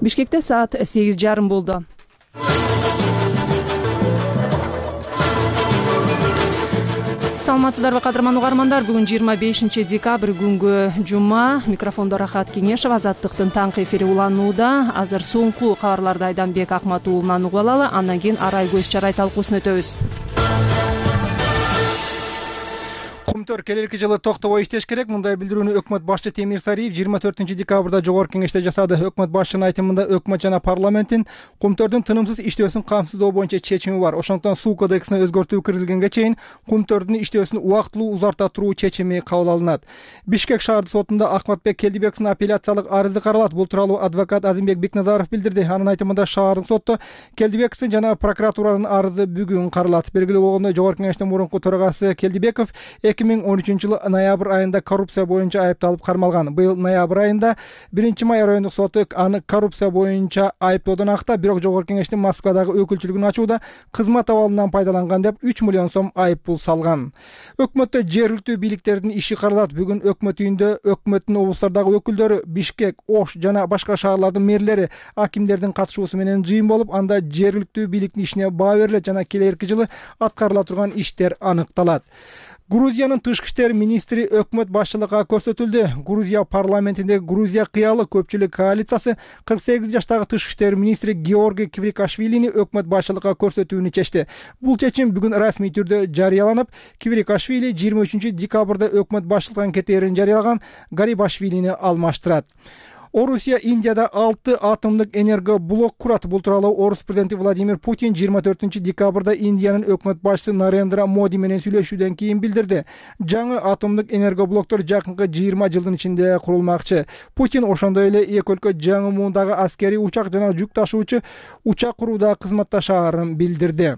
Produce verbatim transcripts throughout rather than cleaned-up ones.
Бишкекте саат сегиз жарым болду. Саламатсыздарбы кадырман угармандар, бүгүн жыйырма бешинчи декабрь күнгү жума. Микрофондо Рахат Кеңешев, Азаттыктын таңкы эфири уланууда. Азыр соңку кабарларды Айданбек Акмат уулунан угуп алалы, андан кийин арай көз чарай талкуусун өтөбүз. Кумтөр келерки жылы токтобой иштеш керек. Мындай билдирүүнү өкмөт башчы Темир Сариев жыйырма төртүнчү декабрда жогорку кеңеште жасады. Өкмөт башчынын айтымында өкмөт жана парламенттин кумтөрдүн тынымсыз иштөөсүн камсыздоо боюнча чечими бар. Ошондуктан суу кодексине өзгөртүү киргизилгенге чейин кумтөрдүн иштөөсүн убактылуу узарта туруу чечими кабыл алынат. Бишкек шаардык сотунда Акматбек Келдибековдун апелляциялык арызы каралат. Бул тууралуу адвокат Азимбек Бекназаров билдирди. Анын айтымында шаардык сотто Келдибековдун жана прокуратуранын арызы бүгүн каралат. Белгилүү болгондой, жогорку кеңештин мурунку төрагасы Келдибеков эки миң он үчүнчү жылы ноябрь айында коррупция боюнча айыпталып кармалган. Быйыл ноябрь айында биринчи май райондук соту аны коррупция боюнча айыптоодон актап, бирок жогорку кеңештин Москвадагы өкүлчүлүгүн ачууда кызмат абалынан пайдаланган деп үч миллион сом айып пул салган. Өкмөттө жергиликтүү бийликтердин иши каралат. Бүгүн өкмөт үйүндө өкмөттүн облустардагы өкүлдөрү, Бишкек, Ош жана башка шаарлардын мэрлери, акимдердин катышуусу менен жыйын болуп, анда жергиликтүү бийликтин ишине баа берилет жана келерки жылы аткарыла турган иштер аныкталат. Грузиянын тышкы иштер министри өкмөт башчылыгына көрсөтүлдү. Грузия парламентиндеги Грузия кыялы көпчүлүк коалициясы кырк сегиз жаштагы тышкы иштер министри Георгий Кврикашвилини өкмөт башчылыгына көрсөтүүнү чечти. Бул чечим бүгүн расмий түрдө жарыяланып, Кврикашвили жыйырма үчүнчү декабрда өкмөт башчылыгынын кетээрин жарыялаган Гарибашвилини алмаштырат. Орусия Индияда алты атомдук энергоблок курат. Бул тууралуу Орус президенти Владимир Путин жыйырма төртүнчү декабрда Индиянын өкмөт башчысы Нарендра Моди менен сүйлөшүүдөн кийин билдирди. Жаңы атомдук энергоблоктор жакынкы жыйырма жылдын ичинде курулмакчы. Путин ошондой эле эки өлкө жаңы муундагы аскерий учак жана жүк ташуучу учак курууда кызматташаарын билдирди.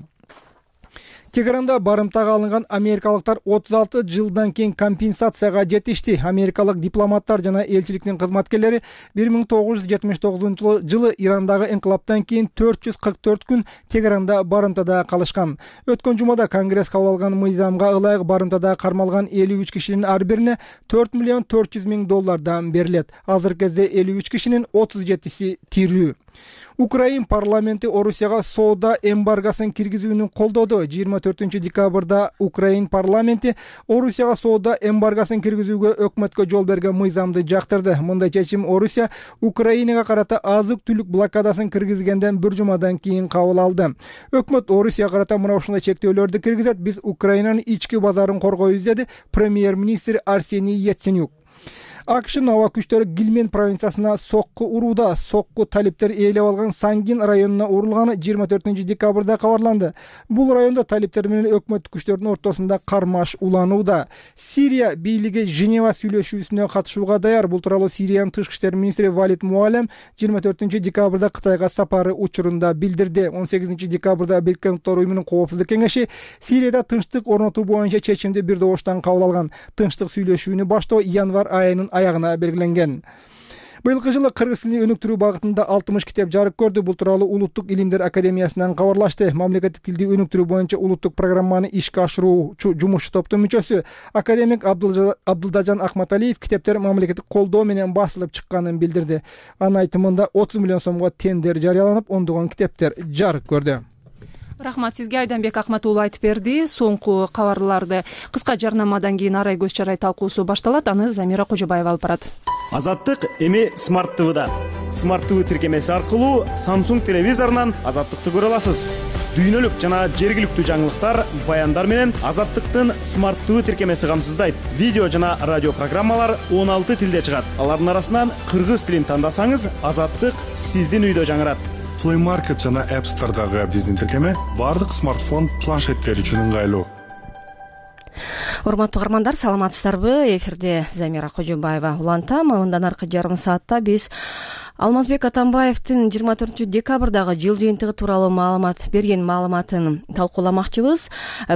Тегеранда барымтага алынган америкалыктар отуз алты жылдан кийин компенсацияга жетишти. Америкалык дипломаттар жана элчиликтин кызматкерлери бир миң тогуз жүз жетимиш тогузунчу жылы Ирандагы инкылаптан кийин төрт жүз кырк төрт күн Тегеранда барымтада калышкан. Өткөн жумада Конгресс кабыл алган мыйзамга ылайык барымтада кармалган элүү үч кишинин ар бирине төрт миллион төрт жүз миң доллардан берилет. Азыркы кезде элүү үч кишинин отуз жетиси тирүү. Украин парламенти Орусияга соода эмбаргосын киргизүүнү колдоду. жыйырма төртүнчү декабрда Украин парламенти Орусияга соода эмбаргосын киргизүүгө өкмөткө жол берген мыйзамды жактырды. Мындай чечим Орусия Украинага карата азык-түлүк блокадасын киргизгенден бир жумадан кийин кабыл алды. Өкмөт Орусияга карата мына ушундай чектөөлөрдү киргизет. Биз Украинанын ички базарын коргойбуз, деди премьер-министр Арсений Яценюк. АКШнын аба күчтөрү Гилмен провинциясына сокку урууда. Сокку талиптер ээлеп алган Сангин районуна урулганы жыйырма төртүнчү декабрда кабарланды. Бул райондо талиптер менен өкмөт күчтөрүнүн ортосунда кармаш уланууда. Сирия бийлиги Женева сүйлөшүүсүнө катышууга даяр. Бул тууралуу Сириянын тышкы иштер министри Валид Муалем жыйырма төртүнчү декабрда Кытайга сапары учурунда билдирди. он сегизинчи декабрда Бириккен Улуттар уюмунун коопсуздук кеңеши Сирияда тынчтык орнотуу боюнча чечимди бир добуштан кабыл алган. Тынчтык сүйлөшүүнү баштоо январь айынын аягына белгиленген. Быйылкы жылы кыргыз тилин өнүктүрүү багытында алтымыш китеп жарык көрдү. Бул тууралуу Улуттук илимдер академиясынан кабарлашты. Мамлекеттик тилди өнүктүрүү боюнча улуттук программаны ишке ашыруучу жумушчу топтун мүчөсү академик Абдылдажан Акматалиев китептер мамлекеттик колдоо менен басылып чыкканын билдирди. Анын айтымында отуз миллион сомго тендер жарыяланып, ондогон китептер жарык көрдү. Рахмат сизге, Айданбек Акмат уулу айтып берди. Соңку кабарларды кыска жарнамадан кийин арай көз чарай талкуусу башталат. Аны Замира Кожобаева алып барат. Азаттык эми Smart ти вида. Smart ти ви тиркемеси аркылуу Samsung телевизорунан Азаттыкты көрө аласыз. Дүйнөлүк жана жергиликтүү жаңылыктар, баяндар менен Азаттыктын Smart ти ви тиркемеси камсыздайт. Видео жана радио программалар он алты тилде чыгат. Алардын арасынан кыргыз тилин тандасаңыз, Азаттык сиздин үйдө жаңырат. Play Market жана App Store'дагы биздин тиркеме бардык смартфон планшеттер үчүн ыңгайлуу. Урматтуу угармандар, саламатсыздарбы? Эфирде Замира Кожобаева улантам. Мындан аркы жарым саатта биз Алмазбек Атамбаевдин жыйырма төртүнчү декабрдагы жыл жыйынтыгы тууралуу маалымат берген маалыматын талкууламакчыбыз.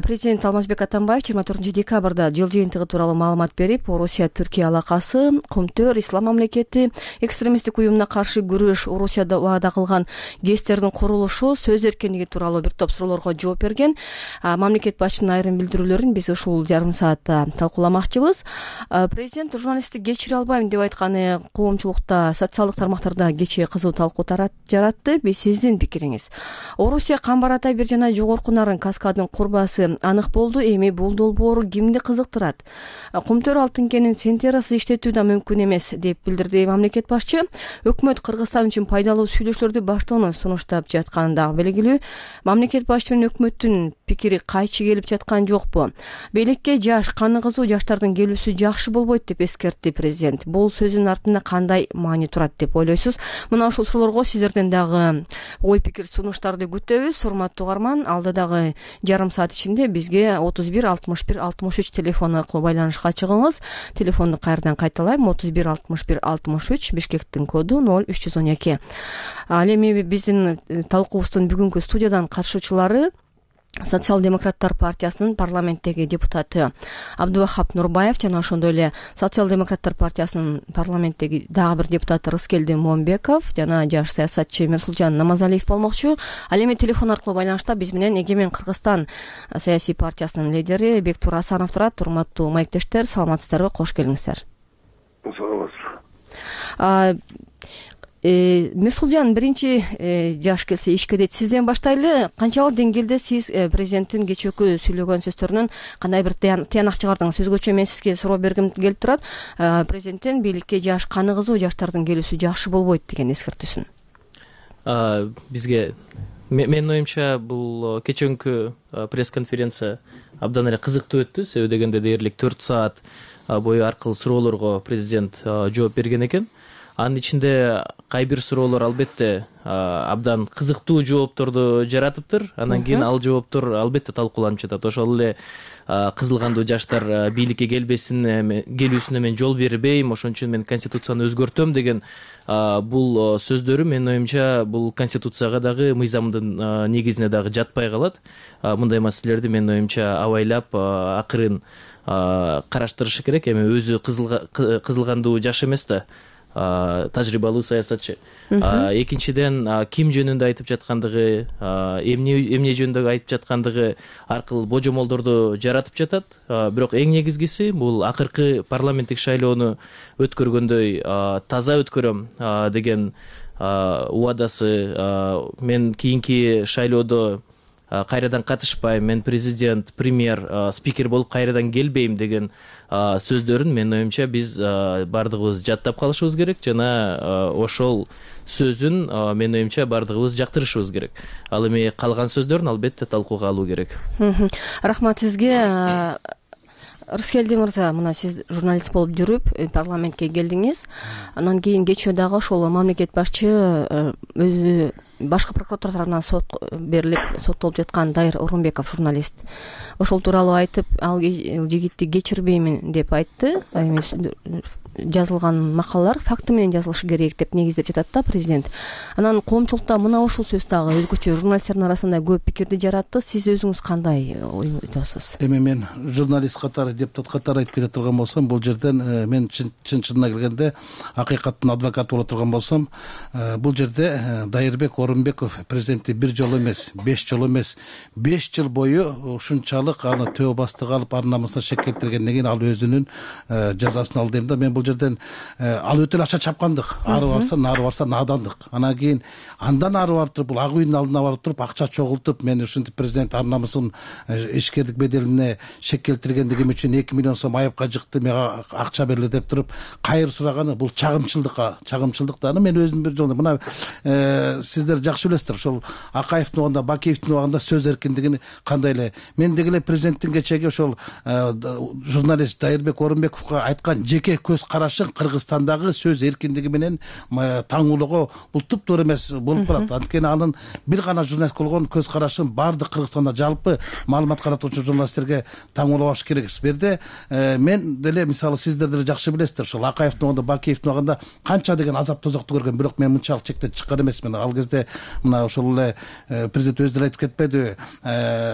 Президент Алмазбек Атамбаев жыйырма төртүнчү декабрда жыл жыйынтыгы тууралуу маалымат берип, Орусия Түркия алакасы, Кумтөр, Ислам мамлекети, экстремисттик уюмуна каршы күрөш, Орусияда убада кылган ГЭСтердин курулушу, сөз эркиндиги тууралуу бир топ суроолорго жооп берген. Мамлекет башчынын айрым билдирүүлөрүн биз ушул жарым саатта талкууламакчыбыз. Президент журналистти кечире албайм деп айтканы коомчулукта, социалдык тармактарда Твиттерда кечээ кызуу талкуу жаратты. Биз сиздин пикириңиз. Орусия Камбар-Ата бир жана жогорку нарын каскадын курбасы анык болду. Эми бул долбоор кимди кызыктырат? Кумтөр алтынкенин сентерасы иштетүү да мүмкүн эмес деп билдирди мамлекет башчы. Өкмөт Кыргызстан үчүн пайдалуу сүйлөшүүлөрдү баштоону сунуштап жатканы дагы белгилүү. Мамлекет башчы менен өкмөттүн пикири кайчы келип жаткан жокпу? Белекке жаш, каны кызуу жаштардын келүүсү жакшы болбойт деп эскертти президент. Бул сөзүнүн артында кандай маани турат деп ойлойсуз? Мына ушул суроолорго сиздерден дагы ой пикир сунуштарды күтөбүз. Урматтуу угарман, алдыдагы жарым саат ичинде бизге отуз бир алтымыш бир алтымыш үч телефон аркылуу байланышка чыгыңыз. Телефонду кайрадан кайталайм: отуз бир алтымыш бир алтымыш үч, Бишкектин коду ноль үч жүз он эки. Ал эми биздин талкуубуздун бүгүнкү студиядан катышуучулары Социал-демократтар партиясынын парламенттеги депутаты Абдувахап Нурбаев жана ошондой эле Социал-демократтар партиясынын парламенттеги дагы бир депутаты Рыскелди Момбеков жана жаш саясатчы Мирсулжан Намазалиев болмокчу. Ал эми телефон аркылуу байланышта биз менен Эгемен Кыргызстан саясий партиясынын лидери Бектур Асанов турат. Урматтуу маектештер, саламатсыздарбы? Кош келиңиздер. Саламатсызбы. Мирсулжан, биринчи жаш келсе ишке дейт. Сизден баштайлы. Канчалык деңгээлде сиз президенттин кечээкү сүйлөгөн сөздөрүнөн кандай бир тыянак чыгардыңыз? Өзгөчө мен сизге суроо бергим келип турат. Президенттин бийликке жаш, каны кызуу жаштардын келүүсү жакшы болбойт деген эскертүүсүн. Бизге менин оюмча бул кечээкү пресс-конференция абдан эле кызыктуу өттү. Себеби дегенде дээрлик төрт саат бою аркылуу суроолорго президент жооп берген экен. Анын ичинде кай бир суроолор албетте абдан кызыктуу жоопторду жаратыптыр. Анан кийин ал жооптор албетте талкууланып жатат. Ошол эле кызыл кандуу жаштар бийликке келбесин келүүсүнө мен жол бербейм, ошон үчүн мен конституцияны өзгөртөм деген бул сөздөрү менин оюмча бул конституцияга дагы мыйзамдын негизине дагы жатпай калат. Мындай маселелерди менин оюмча абайлап акырын караштырышы керек. Эми өзү кызыл кандуу жаш эмес да, тажрыйбалуу саясатчы. Экинчиден, ким жөнүндө айтып жаткандыгы, эмне эмне жөнүндө айтып жаткандыгы аркылуу божомолдорду жаратып жатат. Бирок эң негизгиси бул акыркы парламенттик шайлоону өткөргөндөй таза өткөрөм деген убадасы. Мен кийинки шайлоодо кайрадан катышпайм, мен президент, премьер, спикер болуп кайрадан келбейм деген сөздөрүн менин оюмча биз бардыгыбыз жаттап калышыбыз керек жана ошол сөзүн менин оюмча бардыгыбыз жактырышыбыз керек. Ал эми калган сөздөрүн албетте талкууга алуу керек. Рахмат сизге. Рыскелди мырза, мына сиз журналист болуп жүрүп парламентке келдиңиз. Анан кийин кечээ дагы ошол мамлекет башчы өзү башкы прокуратура тарабынан сот берилип соттолуп жаткан Дайыр Орунбеков журналист. Ошол тууралуу айтып, ал жигитти кечирбеймин деп айтты. Эми жазылган макалалар факты менен жазылышы керек деп негиздеп жатат да президент. Анан коомчулукта мына ушул сөз дагы өзгөчө журналисттердин арасында көп пикирди жаратты. Сиз өзүңүз кандай ойдосуз? Эми мен журналист катары, депутат катары айтып кете турган болсом, бул жерден мен чын чынына келгенде акыйкаттын адвокаты боло турган болсом, бул жерде Дайырбек Орунбеков президентти бир жолу эмес, беш жолу эмес, беш жыл бою ушунчалык аны төө басты калып, ар намысына шек келтиргенден кийин ал өзүнүн жазасын алды. Эми мен бул жерден ал өтө эле акча чапкандык, ары барса, нары барса надандык. Анан кийин андан ары барып туруп, бул ак үйдүн алдына барып туруп акча чогултуп, мен ушинтип президент ар намысын ишкерлик беделине шек келтиргендигим үчүн эки миллион сом айыпка жыкты, мага акча бериле деп туруп кайыр сураганы бул чагымчылдыкка, чагымчылдык да. Мен өзүм бир жолу мына сиздер жакшы билесиздер, ошол Акаевдин убагында, Бакиевдин убагында сөз эркиндигин кандай эле. Мен деги эле президенттин кечеги ошол журналист Дайырбек Орунбековго айткан жеке көз карашын Кыргызстандагы сөз эркиндиги менен таңуулоого бул туптуура эмес болуп калат. Анткени анын бир гана журналист болгон көз карашын баардык Кыргызстанда жалпы маалымат каратуучу журналисттерге таңуулабаш керек. Бу жерде мен деле мисалы сиздер деле жакшы билесиздер, ошол Акаевдин убагында, Бакиевдин убагында канча деген азап тозокту көргөн, бирок мен мынчалык чектен чыккан эмесмин. Ал кезде мына ошол эле президент өзү деле айтып кетпедиби,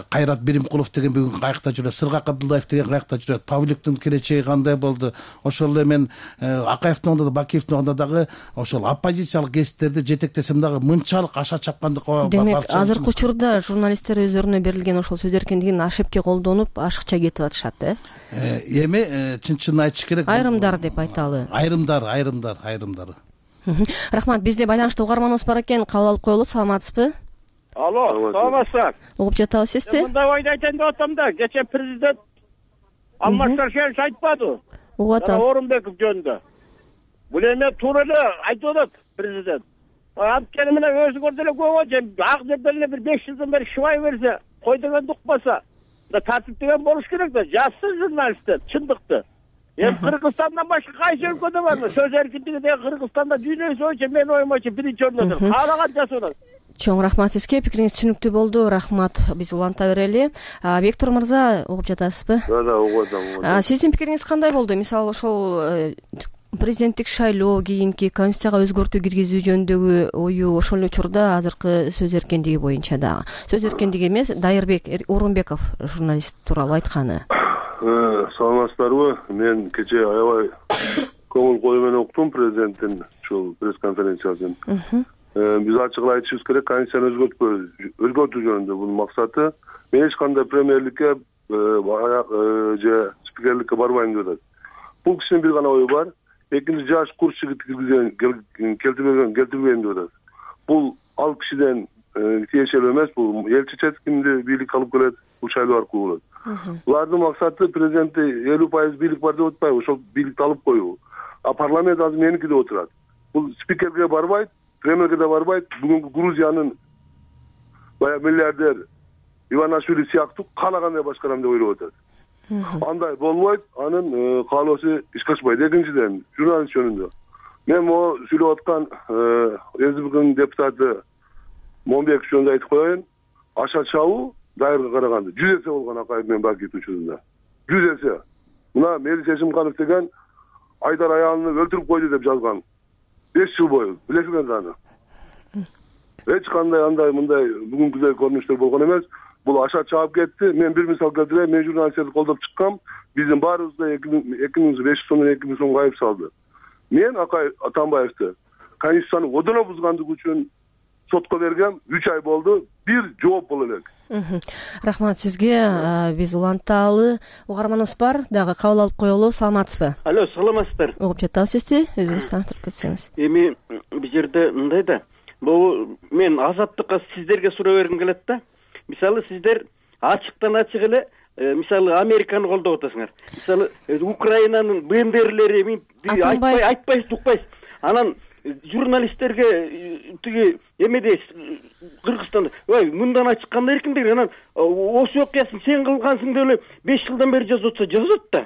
Кайрат Биримкулов деген бүгүн каякта жүрөт, Сыргак Абдулдаев деген каякта жүрөт, Павликтин келечеги кандай болду. Ошол эле мен Акаевдин убагында да, Бакиевдин убагында дагы ошол оппозициялык кесиптерди жетектесем дагы мынчалык аша чапкандык бар. Демек, азыркы учурда журналисттер өздөрүнө берилген ошол сөз эркиндигин ашепке колдонуп, ашыкча кетип атышат, э? Эми чын-чынын айтыш керек. Айрымдар деп айталы. Айрымдар, айрымдар, айрымдар. Рахмат. Бизде байланышта угарманыбыз бар экен, кабыл алып коелу. Саламатсызбы? Алло, саламатсыздар. Угуп жатабыз сизди. Мындай ойду айтайын деп атам да, кечээ президент Алмаз Шаршенович айтпады. Угуп атабыз. Орунбеков жөнүндө. Бул эме туура эле айтып атат президент. Анткени менен өзүңөр деле көп же ак жерден эле бир беш жылдан бери шыбай берсе, кой дегенди укпаса, да тартип деген болуш керек да. Жазсын журналисттер чындыкты. Эми Кыргызстандан башка кайсы өлкөдө бар? Сөз эркиндиги деген Кыргызстанда дүйнө боюнча мен оюм боюнча биринчи орунда. Каалаган жасап атат. Чоң рахмат сизге, пикириңиз түшүнүктүү болду. Рахмат, биз уланта берели. Виктор мырза, угуп жатасызбы? Да, угуп атам. Сиздин пикириңиз кандай болду? Мисалы ошол президенттик шайлоо кийинки конституцияга өзгөртүү киргизүү жөнүндөгү ою ошол эле учурда азыркы сөз эркиндиги боюнча дагы. Сөз эркиндиги эмес, Дайырбек Орунбеков журналист тууралуу айтканы. Саламатсыздарбы? Мен кечээ аябай көңүл кою менен уктум президенттин ушул пресс-конференциясын. Биз ачык айтышыбыз керек, конституцияны өзгөртпөө өзгөртүү жөнүндө бунун максаты. Мен эч кандай премьерликке же спикерликке барбайм деп атат. Бул кишинин бир гана ою бар. Экинчи жаш курс жигит киргизген келтирбеген келтирбейм деп атат. Бул ал кишиден тиешелүү эмес, бул эл чечет кимди бийлик алып келет, бул шайлоо аркылуу болот. Булардын максаты президентти элүү пайыз бийлик бар деп атпайбы, ошол бийликти алып коюу. А парламент азыр меники деп отурат. Бул спикерге барбайт, премьерге да барбайт. Бүгүнкү Грузиянын баягы миллиардер Иванашвили сыяктуу каалагандай башкарам деп ойлоп атат. Андай болбойт, анын каалоосу ишке ашпайт. Экинчиден, журналист жөнүндө. Мен могу сүйлөп аткан республиканын депутаты Момбек жөнүндө айтып коеюн. Аша чабуу Дайырга караганда жүз эсе болгон Акаев менен Бакиев учурунда. жүз эсе. Мына Мелис Эшимканов деген Айдар аялын өлтүрүп койду деп жазган. беш жыл бою. Билесиңер аны. Эч кандай андай мындай бүгүнкүдөй көрүнүштөр болгон эмес. Бул аша чаап кетти. Мен бир мисал келтирейин. Мен журналисттерди колдоп чыккам. Биздин баарыбызда эки миң беш жүз сом менен эки миң сом айып салды. Мен Акаев Атамбаевди конституцияны одоно бузгандыгы үчүн сотко бергем. үч ай болду. Бир жооп боло элек. Рахмат сизге. Биз уланталы угарманыбыз бар, дагы кабыл алып коелу. Саламатсызбы? Алло, саламатсыздар. Угуп жатабыз сизди. Өзүңүз таныштырып кетсеңиз. Эми бул жерде мындай да. Бул мен азаттыкка сиздерге суроо бергим келет да. Мисалы сиздер ачыктан ачык эле мисалы Американы колдоп атасыңар. Мисалы Украинанын бендерлери айтпай айтпайсыз, укпайсыз. Анан журналисттерге тиги эмеде Кыргызстанда ой мындан ачык кандай эркиндик, анан ошол окуясын сен кылгансың деп эле беш жылдан бери жазып атса жазат да.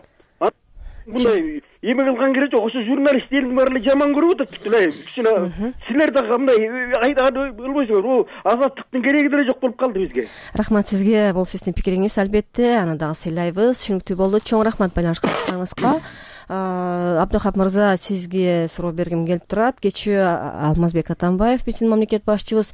Мындай эме кылган керек жок. Ошо журналист элдин баары эле жаман көрүп атат эле. Кичине силер да кандай айда болбойсуңар. Бул азаттыктын кереги деле жок болуп калды бизге. Рахмат сизге. Бул сиздин пикириңиз албетте. Аны дагы сыйлайбыз. Түшүнүктүү болду. Чоң рахмат байланышка чыкканыңызга. Абдухап мырза, сизге суроо бергим келип турат. Кечээ Алмазбек Атамбаев, биздин мамлекет башчыбыз,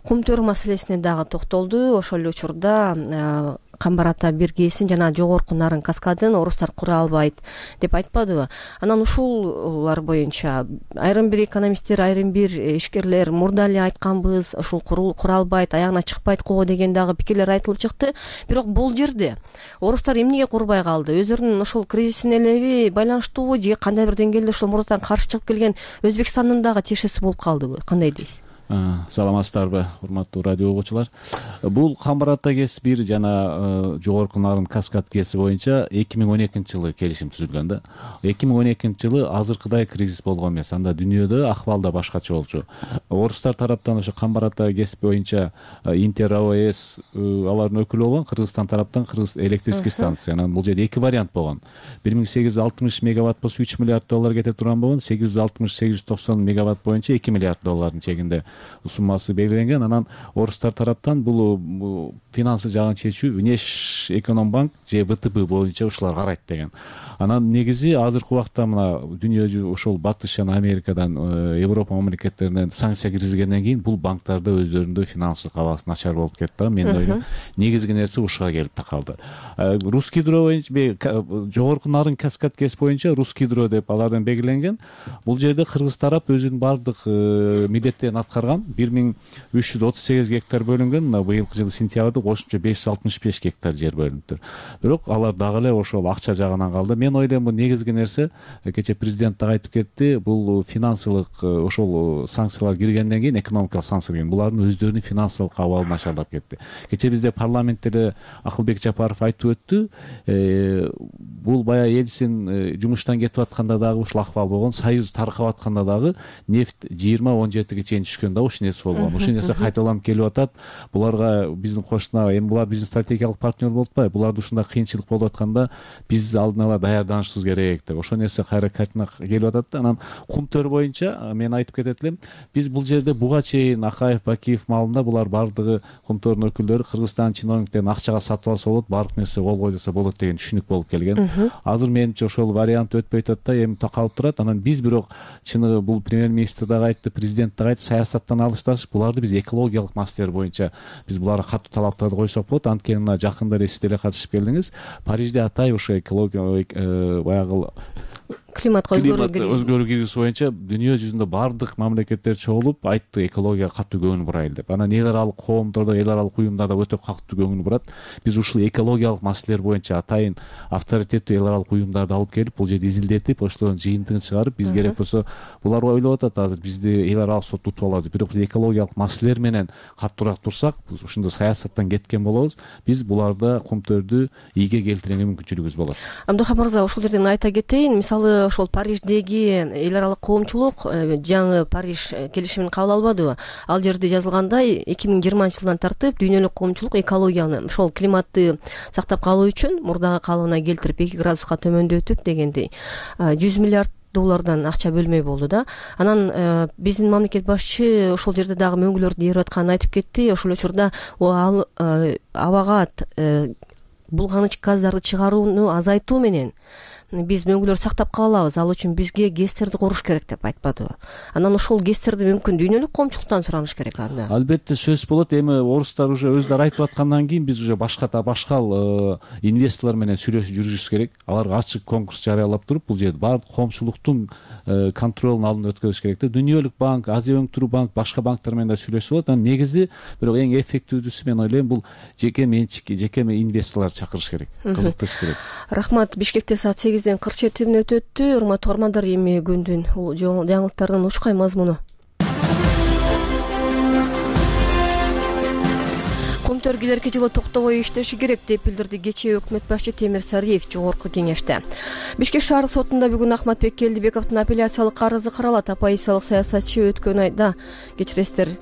кумтөр маселесине дагы токтолду. Ошол эле учурда камбар ата биргесин жана жогорку нарын каскадын орустар кура албайт деп айтпадыбы? Анан ушулар боюнча айрым бир экономисттер, айрым бир ишкерлер мурда эле айтканбыз, ушул кура албайт, аягына чыкпайт го деген дагы пикирлер айтылып чыкты. Бирок бул жерде орустар эмнеге курбай калды? Өздөрүнүн ошол кризисине элеби байланыштуубу же кандай бир деңгээлде ошол мурдатан каршы чыгып келген Өзбекстандын дагы тиешеси болуп калдыбы? Кандай дейсиз? Саламатсыздарбы, урматтуу радио угуучулар. Бул камбар ата кесип бир жана жогорку нарын каскад кесип боюнча эки миң он экинчи жылы келишим түзүлгөн да. эки миң он экинчи жылы азыркыдай кризис болгон эмес. Анда дүйнөдө акыбал да башкача болчу. Орустар тараптан ошо камбар ата кесип боюнча Интер АОС алардын өкүлү болгон, Кыргызстан тараптан Кыргыз электрический станция. Анан бул жерде эки вариант болгон. бир миң сегиз жүз алтымыш мегаватт болсо үч миллиард доллар кете турган болгон, сегиз жүз алтымыш сегиз жүз токсон мегаватт боюнча эки миллиард доллардын чегинде суммасы белгиленген. Анан орустар тараптан бул финансы жагын чечүү Внешэкономбанк же вэ тэ бэ боюнча ушулар карайт деген. Анан негизи азыркы убакта мына дүйнө ошол батыш жана Америкадан, Европа мамлекеттеринен санкция киргизгенден кийин бул банктарда өздөрүндө финансылык абалы начар болуп кетти. Мен ойлойм, негизги нерсе ушуга келип такалды. Русгидро боюнча жогорку нарын каскад кесип боюнча Русгидро деп алардан белгиленген. Бул жерде кыргыз тарап өзүнүн бардык милдеттерин аткарган тапшырган, бир миң үч жүз отуз сегиз гектар бөлүнгөн. Мына быйылкы жылы сентябрда кошумча беш жүз алтымыш беш гектар жер бөлүнүптүр. Бирок алар дагы эле ошол акча жагынан калды. Мен ойлойм, бул негизги нерсе, кечээ президент дагы айтып кетти, бул финансылык ошол санкциялар киргенден кийин, экономикалык санкциялар кирген, булардын өздөрүнүн финансылык абалы начарлап кетти. Кечээ бизде парламентте эле Акылбек Жапаров айтып өттү, бул баягы Эльцин жумуштан кетип атканда дагы ушул акыбал болгон, Союз таркап атканда дагы нефть жыйырма он жетиге чейин түшкөн да, ушул нерсе болгон. Ушул нерсе кайталанып келип атат. Буларга биздин кошуна, эми булар биздин стратегиялык партнер болуп атпайбы? Буларда ушундай кыйынчылык болуп атканда биз алдын ала даярданышыбыз керек деп. Ошол нерсе кайра картина келип атат да. Анан Кумтөр боюнча мен айтып кетет элем, биз бул жерде буга чейин Акаев, Бакиев маалында булар бардыгы Кумтөрдүн өкүлдөрү Кыргызстан чиновниктерин акчага сатып алса болот, баардык нерсе кол койдурса болот деген түшүнүк болуп келген. Азыр менимче ошол вариант өтпөй атат да, эми такалып турат. Анан биз бирок чыныгы бул премьер-министр дагы айтты, президент дагы айтты, саясаттан алышташ, буларды биз экологиялык маселелер боюнча биз буларга катуу талаптарды койсок болот. Анткени мына жакында эле сиз деле катышып келдиңиз. Парижде атай ошо экология баягы климатка өзгөрүү киргизүү боюнча дүйнө жүзүндө баардык мамлекеттер чогулуп айтты, экологияга катуу көңүл бурайлы деп. Анан эл аралык коомдордо, эл аралык уюмдарда өтө катуу көңүл бурат. Биз ушул экологиялык маселелер боюнча атайын авторитеттүү эл аралык уюмдарды алып келип, бул жерде изилдетип, ошолордун жыйынтыгын чыгарып, биз керек болсо булар ойлоп атат, азыр бизди эл аралык сотто утуп алат. Бирок биз экологиялык маселелер менен катуураак турсак, ушундай саясаттан кеткен болобуз. Биз буларда Кумтөрдү ийге келтирүүгө мүмкүнчүлүгүбүз болот. Абдыхан мырза, ушул жерден айта кетейин, мисалы ошол Париждеги эл аралык коомчулук жаңы Париж келишимин кабыл албадыбы? Ал жерде жазылгандай, эки миң жыйырманчы жылдан тартып дүйнөлүк коомчулук экологияны, ошол климатты сактап калуу үчүн мурдагы калыбына келтирип эки градуска төмөндөтүп дегендей жүз миллиард доллардан акча бөлмөй болду да. Анан биздин мамлекет башчы ошол жерде дагы мөңгүлөрдү ээреп атканын айтып кетти. Ошол учурда ал абага булганыч газдарды чыгарууну азайтуу менен биз мөңгүлөрдү сактап кала алабыз, ал үчүн бизге гэстерди куруш керек деп айтпадыбы? Анан ошол гэстерди мүмкүн дүйнөлүк коомчулуктан сураныш керек анда. Албетте сөз болот. Эми орустар уже өздөрү айтып аткандан кийин биз уже башка башкал инвесторлор менен сүйлөшүп жүрүшүбүз керек. Аларга ачык конкурс жарыялап туруп, бул жерде баардык коомчулуктун контролун алынып өткөрүш керек да. Дүйнөлүк банк, Азия өңтүрүү банк, башка банктар менен да сүйлөшүп болот. Анан негизи бирок эң эффективдүүсү мен ойлойм, бул жеке менчик, жеке инвесторлор чакырыш керек, кызыктырыш керек. Рахмат. Бишкекте саат сегизден кырк жети мүнөт өттү. Урматтуу угармандар, эми күндүн жаңылыктарынын учкай мазмуну. Кумтөр келерки жылы токтобой иштеши керек деп билдирди кечээ өкмөт башчы Темир Сариев жогорку кеңеште. Бишкек шаардык сотунда бүгүн Ахматбек Келдибековдун апелляциялык арызы каралат. Оппозициялык саясатчы өткөн айда, кечиресиздер,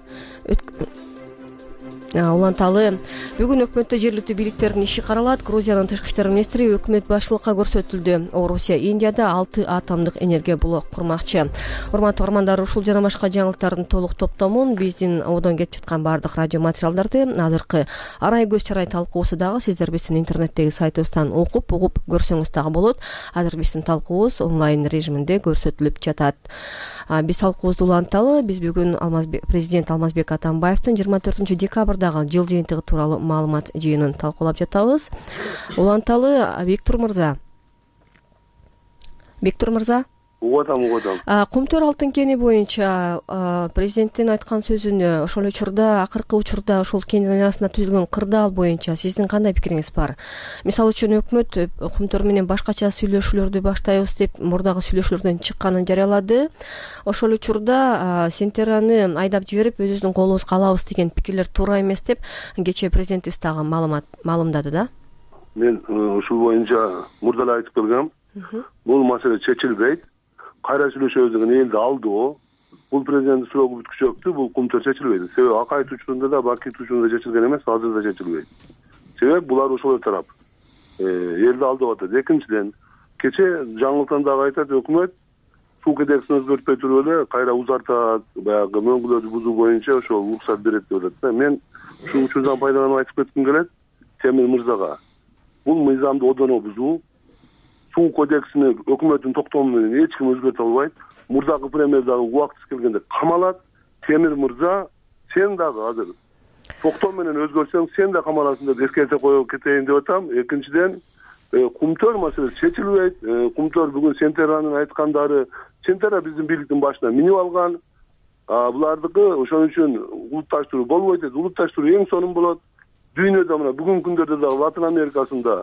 уланталы бүгүн өкмөттө жергиликтүү бийликтердин иши каралат. Грузиянын тышкы иштер министри өкмөт башчылыкка көрсөтүлдү. Орусия Индияда алты атомдук энергия блок курмакчы. Урматтуу угармандар, ушул жана башка жаңылыктардын толук топтомун, биздин ободон кетип жаткан баардык радио материалдарды, азыркы арай көз чарай талкуусу дагы сиздер биздин интернеттеги сайтыбыздан окуп, угуп көрсөңүз дагы болот. Азыр биздин талкуубуз онлайн режиминде көрсөтүлүп жатат. Биз талкуубузду уланталы. Биз бүгүн президент Алмазбек Атамбаевдин жыйырма төртүнчү декабрдагы жыл жыйынтыгы тууралуу маалымат жыйынын талкуулап жатабыз. Уланталы Бектур мырза. Бектур мырза. Угатам, угатам. Кумтөр алтын кени боюнча президенттин айткан сөзүнө, ошол учурда, акыркы учурда ошол кенин арасында түзүлгөн кырдаал боюнча сиздин кандай пикириңиз бар? Мисалы үчүн өкмөт Кумтөр менен башкача сүйлөшүүлөрдү баштайбыз деп мурдагы сүйлөшүүлөрдөн чыкканын жарыялады. Ошол учурда Сентераны айдап жиберип өзүбүздүн колубузга алабыз деген пикирлер туура эмес деп кечээ президентибиз дагы маалымат маалымдады да. Мен ушул боюнча мурда эле айтып келгем. Бул маселе чечилбейт. Кайра сүйлөшөбүз деген элди алды о. Бул президенттин срогу бүткүчөктү, бул Кумтөр чечилбейт. Себеби Акаев учурунда да, Бакиев учурунда чечилген эмес, азыр да чечилбейт. Себеби булар ошол тарап элди алдып атат. Экинчиден, кечээ жаңылыктан дагы айтат, өкмөт суу кодексин өзгөртпөй туруп эле кайра узартат, баягы мөңгүлөрдү бузуу боюнча ошол уруксат берет деп атат. Мен ушул учурдан пайдаланып айтып кетким келет Темир мырзага. Бул мыйзамды одоно бузуу. Суу кодексини өкмөттүн токтому менен эч ким өзгөртө албайт. Мурдагы премьер дагы убактысы келгенде камалат. Темир мырза, сен дагы азыр токтом менен өзгөрсөң, сен да камаласың деп эскерте коюп кетейин деп атам. Экинчиден, Кумтөр маселеси чечилбейт. Кумтөр бүгүн Сентеранын айткандары, Сентера биздин бийликтин башына минип алган. булардыкы ошон үчүн улутташтыруу болбойт дейт. Улутташтыруу эң сонун болот. Дүйнөдө мына бүгүнкү күндөрдө дагы Латын Америкасында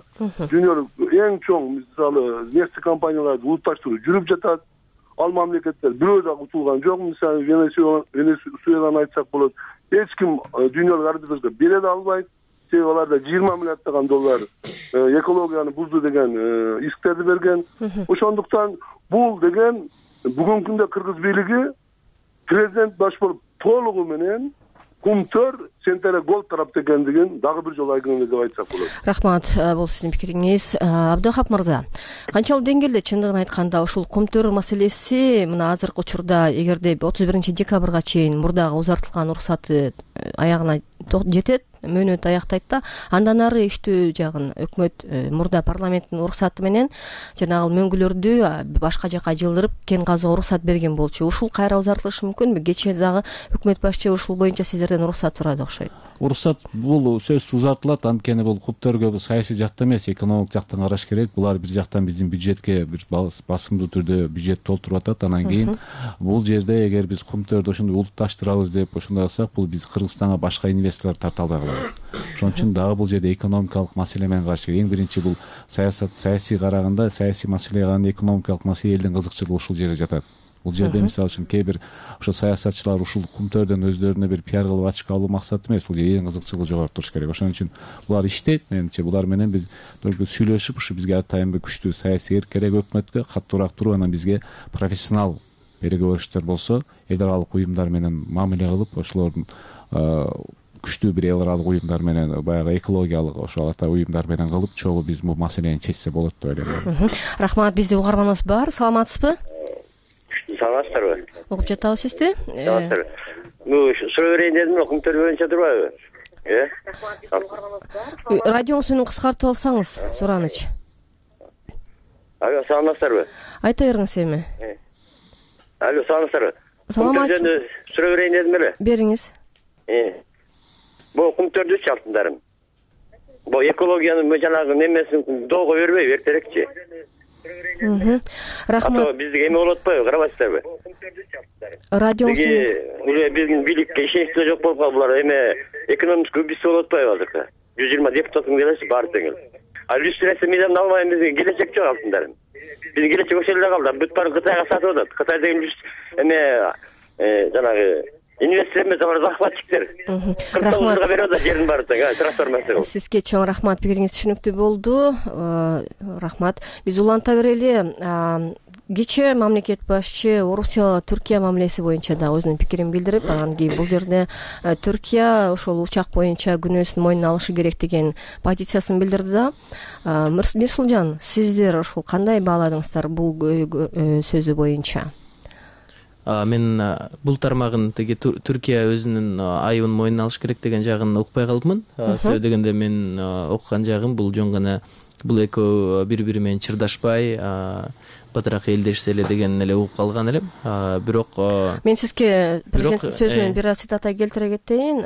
дүйнөлүк эң чоң мисалы нефть компанияларды улутташтыруу жүрүп жатат. Ал мамлекеттер бирөө дагы утулган жок. Мисалы Венесуэланы айтсак болот. Эч ким дүйнөлүк ардыбызга бере да албайт. Себеби аларда жыйырма миллиарддаган доллар экологияны бузду деген исктерди берген. Ошондуктан бул деген бүгүнкү күндө Кыргыз бийлиги президент баш болуп толугу менен кумтөр Сентере Голд тарапта экендигин дагы бир жолу айгинеледи деп айтсак болот. Рахмат, бул сиздин пикириңиз. Абдыхап мырза, канчалык деңгээлде чындыгын айтканда ушул кумтөр маселеси мына азыркы учурда эгерде отуз биринчи декабрга чейин мурдагы узартылган уруксаты аягына жетет, мөөнөт аяктайт да, андан ары иштөө жагын өкмөт мурда парламенттин уруксаты менен жанагы мөңгүлөрдү башка жака жылдырып кен казууга уруксат берген болчу. Ушул кайра узартылышы мүмкүнбү? Кечээ дагы өкмөт башчы ушул боюнча сиздерден уруксат сурады окшойт. Уруксат бул сөзсүз узартылат, анткени бул кумтөргө саясий жактан эмес, экономик жактан караш керек. Булар бир жактан биздин бюджетке бир басымдуу түрдө бюджет толтуруп атат. Анан кийин бул жерде эгер биз кумтөрдү ошондой улутташтырабыз деп ошондой кылсак, бул биз Кыргызстанга башка инвесторлор тарта албай калабыз. Ошон үчүн дагы бул жерде экономикалык маселе менен караш керек. Эң биринчи бул саясат, саясий караганда, саясий маселеге караганда экономикалык маселе, элдин кызыкчылыгы ушул жерге жатат. Бул жерде мисалы үчүн кээ бир ошо саясатчылар ушул кумтөрдөн өздөрүнө бир пиар кылып ачка алуу максаты эмес, бул жерде элдин кызыкчылыгы жогору туруш керек. Ошон үчүн булар иштейт, менимче булар менен биз только сүйлөшүп, ушу бизге атайын бир күчтүү саясий керек, өкмөткө каттуураак туруп, анан бизге профессионал переговорщиктер болсо, эл аралык уюмдар менен мамиле кылып, ошолордун күчтүү бир эл аралык уюмдар менен, баягы экологиялык ошол ата уюмдар менен кылып, чогуу биз бул маселени чечсе болот деп ойлойм. Рахмат, бизде угарманыбыз бар. Саламатсызбы? Саламатсыздарбы? Угуп жатабыз сизди. Саламатсыздарбы? Ну, суроо берейин дедим, кумтөр боюнча турбайбы? Э? Радионун үнүн кыскартып алсаңыз, сураныч. Алло, саламатсыздарбы? Айта бериңиз эми. Алло, саламатсыздарбы? Саламатсызбы? Суроо берейин дедим эле. Бериңиз. Э. Бул кумтөрдүчү алтындарым. Бул экологиянын жанагы немесин доого бербей, эртерекчи. Рахмат. Ато биздики эме болуп атпайбы, карабайсыздарбы? Радионун уже биздин бийликке ишеничтүү жок болуп калды. Булар эме экономикалык убийство болуп атпайбы азыркы? жүз жыйырма депутаттын келеши баары теңил. А жүз нерсе мыйзамды албай бизге келечек жок алтындарым. Биздин келечек ошол эле калды. Бүт баары Кытайга сатып атат. Кытай деген эме жанагы инвестор эмес, алар захватчиктер. Рахмат. Берип атат жердин баары тең, трансформация болуп. Сизге чоң рахмат, пикириңиз түшүнүктүү болду. Рахмат. Биз уланта берели. Кечээ мамлекет башчы Орусия Түркия мамилеси боюнча да өзүнүн пикирин билдирип, анан кийин бул жерде Түркия ошол учак боюнча күнөөсүн мойнуна алышы керек деген позициясын билдирди да. Мирсулжан, сиздер ошол кандай бааладыңыздар бул сөзү боюнча? Мен бул тармагын теги Түркия өзүнүн айыбын мойнуна алыш керек деген жагын укпай калдымын. Себеби дегенде мен окуган жагым бул жөн гана бул экөө бири бири менен чырдашпай батыраак элдешсе эле деген эле угуп калган элем. Бирок мен сизге президенттин сөзүнөн бир цитата келтире кетейин.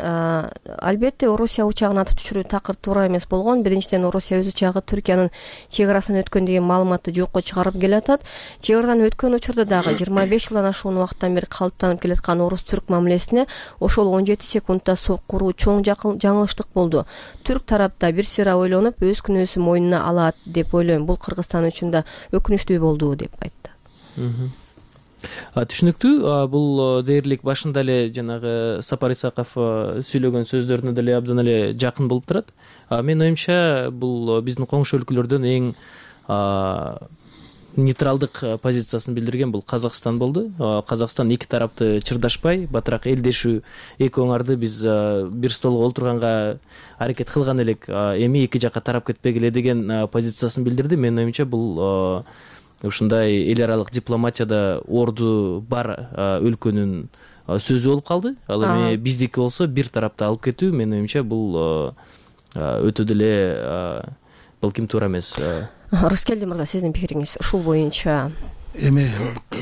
Албетте Орусия учагын атып түшүрүү такыр туура эмес болгон. Биринчиден Орусия өз учагы Түркиянын чек арасынан өткөн деген маалыматты жокко чыгарып келатат. Чек арадан өткөн учурда дагы жыйырма беш жылдан ашуун убакыттан бери калыптанып келаткан орус-түрк мамилесине ошол он жети секундда соккуруу чоң жаңылыштык болду. Түрк тарапта бир сыйра ойлонуп, өз күнөөсүн мойнуна алат деп ойлойм. Бул Кыргызстан үчүн да өкүнүчтүү болду деп айтты. Түшүнүктүү. Бул дээрлик башында эле жанагы Сапар Исаков сүйлөгөн сөздөрүнө деле абдан эле жакын болуп турат. Менин оюмча бул биздин коңшу өлкөлөрдөн эң нейтралдык позициясын билдирген бул Казакстан болду. Казакстан эки тарапты чырдашпай, батыраак элдешүү эки оңарды биз бир столго олтурганга аракет кылган элек, эми эки жакка тарап кетпегиле эле деген позициясын билдирди. Менин оюмча бул ушундай эл аралык дипломатияда орду бар өлкөнүн сөзү болуп калды. Ал эми биздики болсо бир тарапты алып кетүү, менин оюмча бул өтө деле балким туура эмес. Рыскелди мырза, сиздин пикириңиз ушул боюнча? эми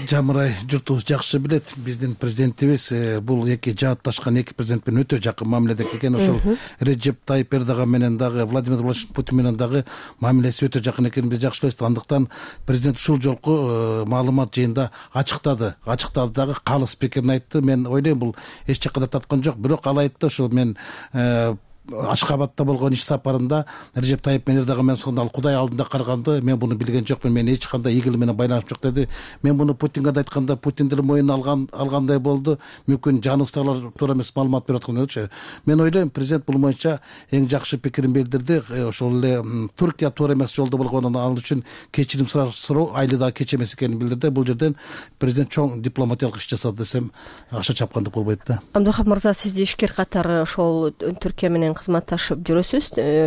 Жамырай журтубуз жакшы билет, биздин президентибиз бул эки жаатташкан эки президент менен өтө жакын мамиледе экен. Ошол Реджеп Тайып Эрдоган менен дагы Владимир Владимирович Путин менен дагы мамилеси өтө жакын экенин биз жакшы билебиз. Андыктан президент ушул жолку маалымат жыйында ачыктады ачыктады дагы калыс пикирин айтты. Мен ойлойм бул эч жакка да таткан жок, бирок ал айтты ошол мен Ашкабадта болгон иш сапарында Реджеп Тайып менен Эрдоган менен сонда ал Кудай алдында карганды мен буну билген жокмун, мен эч кандай игил менен байланышым жок деди. Мен буну Путинге да айтканда Путин деле мойнуна алган алгандай болду. Мүмкүн жаныбыздагылар туура эмес маалымат берип аткан дечи. Мен ойлойм президент бул боюнча эң жакшы пикирин билдирди. Ошол эле Түркия туура эмес жолдо болгонун ал үчүн кечирим суроо айли дагы кеч эмес экенин билдирди. Бул жерден президент чоң дипломатиялык иш жасады десем аша чапкандык болбойт да. Абдухап мырза, сиз ишкер катары ошол Түркия менен кызматташып жүрөсүз,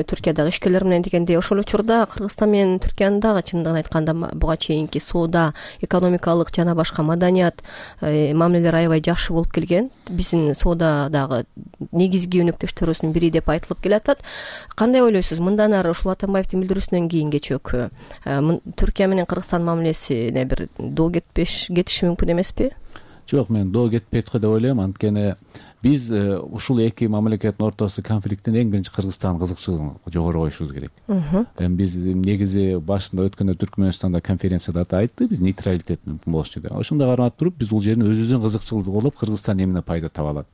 Түркиядагы ишкерлер менен дегенде. Ошол учурда Кыргызстан менен Түркиянын дагы чындыгын айтканда буга чейинки соода, экономикалык жана башка маданият мамилелер аябай жакшы болуп келген. Биздин соодадагы негизги өнөктөштөрүбүздүн бири деп айтылып келатат. Кандай ойлойсуз, мындан ары ушул Атамбаевдин билдирүүсүнөн кийинкечи Түркия менен Кыргызстан мамилесине бир доо кетпеш кетиши мүмкүн эмеспи? Жок, мен доо кетпейт го деп ойлойм. Анткени биз ушул эки мамлекеттин ортосундагы конфликттин эң биринчи Кыргызстандын кызыкчылыгын жогору коюшубуз керек. Эми биз негизи башында өткөндө Түркмөнстанда конференцияда да айтты, биз нейтралитет мүмкүн болчу деп. Ошондой кармап туруп биз бул жердин өзүбүздүн кызыкчылыгы болуп, Кыргызстан эмне пайда таба алат.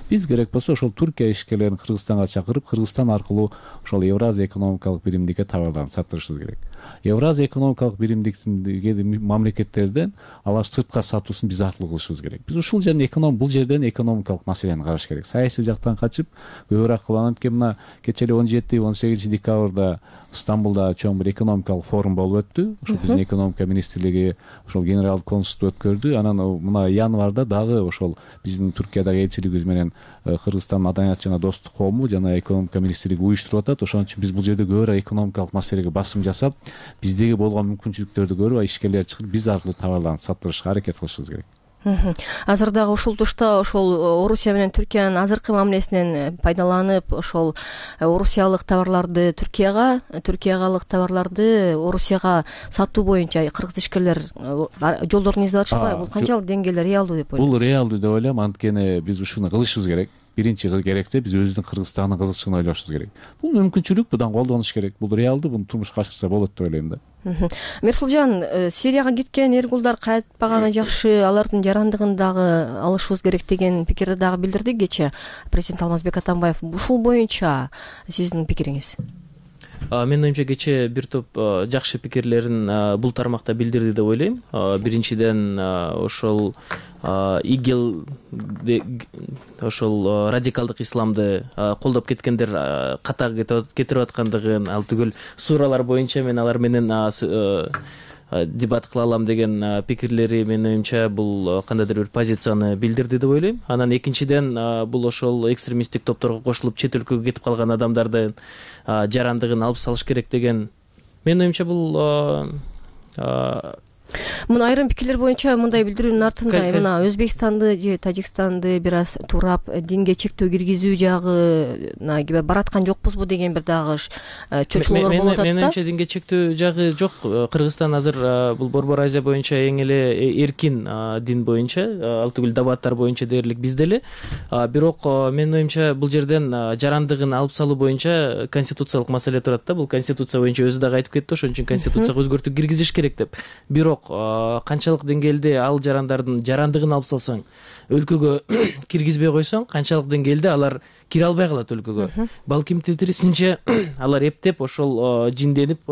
Биз керек болсо ошол Түркия ишкерлерин Кыргызстанга чакырып, Кыргызстан аркылуу ошол Евразия экономикалык биримдикке товарларын сатырышыбыз керек. Евразия экономикалык биримдиктиги мамлекеттерден алар сыртка сатуусун биз аркылуу кылышыбыз керек. Биз ушул жерден эконом бул жерден экономикалык маселени караш керек. Саясий жактан качып, көбүрөөк кылган анткени мына кечээ эле он жети он сегизинчи декабрда Стамбулда чоң бир экономикалык форум болуп өттү. Ошол биздин экономика министрлиги ошол генералдык консулство өткөрдү. Анан мына январда дагы ошол биздин Түркиядагы элчилигибиз менен Кыргызстан маданият жана достук коому жана экономика министрлиги уюштуруп атат. Ошон үчүн биз бул жерде көбүрөөк экономикалык маселеге басым жасап, биздеги болгон мүмкүнчүлүктөрдү көрүп, ишкерлер чыгып биз аркылуу товарларды сатырышка аракет кылышыбыз керек. Азыр дагы ушул тушта ошол Орусия менен Түркиянын азыркы мамилесинен пайдаланып, ошол орусиялык товарларды Түркияга, түркиялык товарларды Орусияга сатуу боюнча кыргыз ишкерлер жолдорун издеп атышпайбы? Бул канчалык деңгээлде реалдуу деп ойлойсуз? Бул реалдуу деп ойлойм, анткени биз ушуну кылышыбыз керек. Биринчи керекте биз өзүбүздүн Кыргызстандын кызыкчылыгын ойлошубуз керек. Бул мүмкүнчүлүк, будан колдонуш керек. Бул реалдуу, буну турмушка ашырса болот деп ойлойм да. Мирсулжан, Сирияга кеткен эргулдар кайтпаганы жакшы, алардын жарандыгын дагы алышыбыз керек деген пикирди дагы билдирди кечээ президент Алмазбек Атамбаев. Ушул боюнча сиздин пикириңиз? Менин оюмча кечээ бир топ жакшы пикирлерин бул тармакта билдирди деп ойлойм. Биринчиден ошол игил ошол радикалдык исламды колдоп кеткендер катага кетирип аткандыгын, ал түгүл сууралар боюнча мен алар менен дебат кыла алам деген пикирлери менин оюмча бул кандайдыр бир позицияны билдирди деп ойлойм. Анан экинчиден бул ошол экстремисттик топторго кошулуп чет өлкөгө кетип калган адамдардын жарандыгын алып салыш керек деген. Менин оюмча бул Мына айрым пикирлер боюнча мындай билдирүүнүн артында мына Өзбекстанды же Тажикстанды бир аз турап динге чектөө киргизүү жагына бараткан жокпузбу деген бир дагы чочулуулар болуп атат да. Менин оюмча динге чектөө жагы жок. Кыргызстан азыр бул Борбор Азия боюнча эң эле эркин дин боюнча, ал түгүл дабаттар боюнча дээрлик бизде эле. Бирок менин оюмча бул жерден жарандыгын алып салуу боюнча конституциялык маселе турат да. Бул конституция боюнча өзү дагы айтып кетти, ошон үчүн конституцияга өзгөртүү киргизиш керек деп. Бирок канчалык деңгээлде ал жарандардын жарандыгын алып салсаң, өлкөгө киргизбей койсоң, канчалык деңгээлде алар кире албай калат өлкөгө. Балким тетирисинче алар эптеп ошол жинденип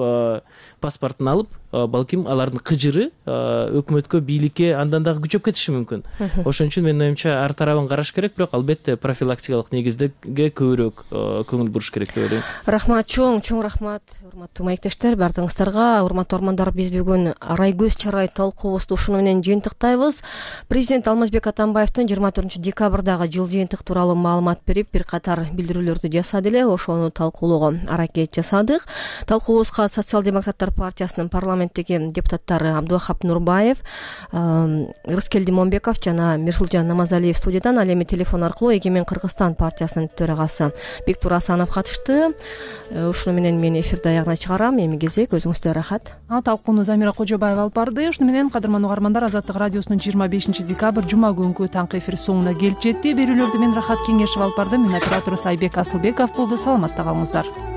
паспортун алып, балким алардын кыжыры өкмөткө, бийликке андан дагы күчөп кетиши мүмкүн. Ошон үчүн менин оюмча ар тарабын караш керек, бирок албетте профилактикалык негиздеге көбүрөөк көңүл буруш керек деп ойлойм. Рахмат, чоң чоң рахмат, урматтуу маектештер, баардыгыңыздарга. Урматтуу армандар, биз бүгүн арай көз чарай талкуубузду ушуну менен жыйынтыктайбыз. Президент Алмазбек Атамбаевдин жыйырма төртүнчү декабрдагы жыл жыйынтык тууралуу маалымат берип, бир катар билдирүүлөрдү жасады эле. Ошону талкуулоого аракет жасадык. Талкуубузга Социал-демократтар партиясынын парламенттеги депутаттары Абдухап Нурбаев, Рыскелди Момбеков жана Мирсулжан Намазалиев студиядан, ал эми телефон аркылуу Эгемен Кыргызстан партиясынын төрагасы Бектур Асанов катышты. Ушуну менен мен эфирди жагына чыгарам. Эми кезек өзүңүздө рахат. Талкууну Замира Кожобаева алып барды. Ушуну менен кадырман угармандар, Азаттык радиосунун жыйырма бешинчи декабрь жума күнкү таңкы эфир соңуна келип жетти. Берүүлөрдү мен Рахат Кеңешев алып бардым. Мен оператору Сайбек Асылбеков болду. Саламатта калыңыздар.